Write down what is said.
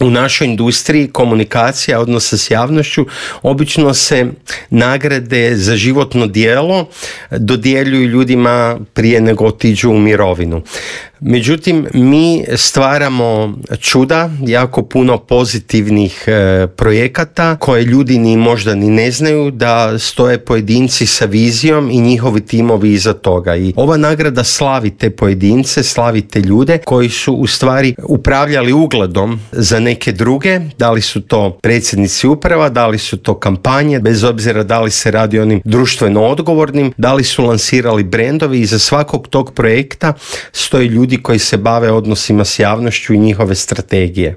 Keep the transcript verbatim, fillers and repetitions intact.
U našoj industriji komunikacija, odnosa s javnošću, obično se nagrade za životno djelo dodjeljuju ljudima prije nego otiđu u mirovinu. Međutim, mi stvaramo čuda, jako puno pozitivnih e, projekata koje ljudi ni možda ni ne znaju da stoje pojedinci sa vizijom i njihovi timovi iza toga. I ova nagrada slavi te pojedince, slavi te ljude koji su u stvari upravljali ugledom za neke druge, da li su to predsjednici uprava, da li su to kampanje, bez obzira da li se radi o onim društveno odgovornim, da li su lansirali brendovi. Iza svakog tog projekta stoje ljudi koji se bave odnosima s javnošću i njihove strategije.